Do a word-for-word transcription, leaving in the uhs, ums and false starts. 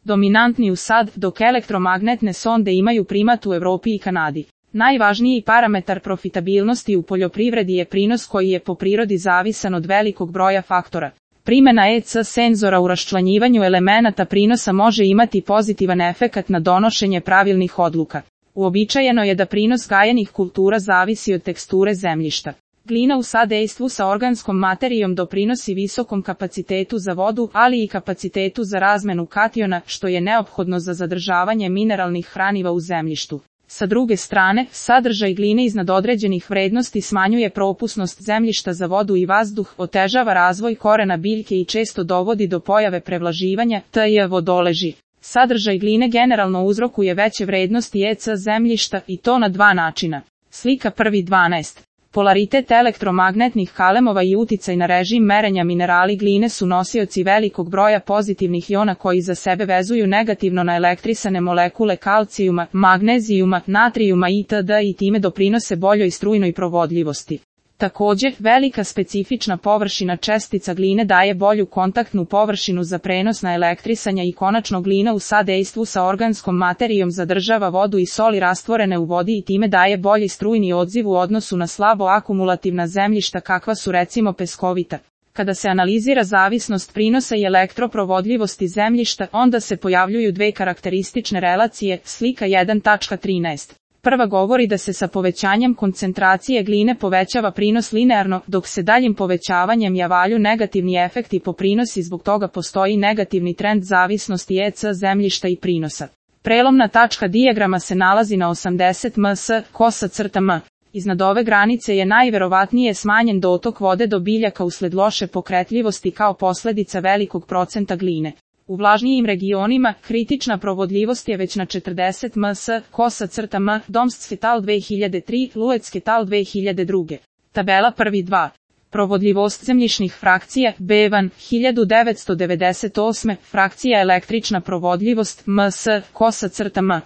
dominantni u S A D, dok elektromagnetne sonde imaju primat u Evropi i Kanadi. Najvažniji parametar profitabilnosti u poljoprivredi je prinos koji je po prirodi zavisan od velikog broja faktora. Primjena E C senzora u raščlanjivanju elemenata prinosa može imati pozitivan efekat na donošenje pravilnih odluka. Uobičajeno je da prinos gajenih kultura zavisi od teksture zemljišta. Glina u sadejstvu sa organskom materijom doprinosi visokom kapacitetu za vodu, ali i kapacitetu za razmenu kationa, što je neophodno za zadržavanje mineralnih hraniva u zemljištu. Sa druge strane, sadržaj gline iznad određenih vrednosti smanjuje propusnost zemljišta za vodu i vazduh, otežava razvoj korena biljke i često dovodi do pojave prevlaživanja, te je vodoleži. Sadržaj gline generalno uzrokuje veće vrednosti E C zemljišta i to na dva načina. Slika prvi dvanaest. Polaritet elektromagnetnih kalemova i uticaj na režim merenja. Minerali gline su nosioci velikog broja pozitivnih iona koji za sebe vezuju negativno na elektrisane molekule kalcijuma, magnezijuma, natrijuma itd. I time doprinose boljoj strujnoj provodljivosti. Također, velika specifična površina čestica gline daje bolju kontaktnu površinu za prenos na elektrisanja i konačno glina u sadejstvu sa organskom materijom zadržava vodu i soli rastvorene u vodi i time daje bolji strujni odziv u odnosu na slabo akumulativna zemljišta kakva su recimo peskovita. Kada se analizira zavisnost prinosa i elektroprovodljivosti zemljišta, onda se pojavljuju dve karakteristične relacije, slika jedan trinaest. Prva govori da se sa povećanjem koncentracije gline povećava prinos linearno, dok se daljim povećavanjem javljaju negativni efekti po prinos i zbog toga postoji negativni trend zavisnosti E C zemljišta i prinosa. Prelomna tačka dijagrama se nalazi na osamdeset m s, kosa crta m. Iznad ove granice je najverovatnije smanjen dotok vode do biljaka usled loše pokretljivosti kao posljedica velikog procenta gline. U vlažnijim regionima, kritična provodljivost je već na četrdeset m s, kosa crta m, Domst et al. dve hiljade tri, Luec et al. dve hiljade dva. Tabela prvi dva. Provodljivost zemljišnih frakcija, Bevan, hiljadu devetsto devedeset osme, frakcija električna provodljivost, m s, kosa crta m.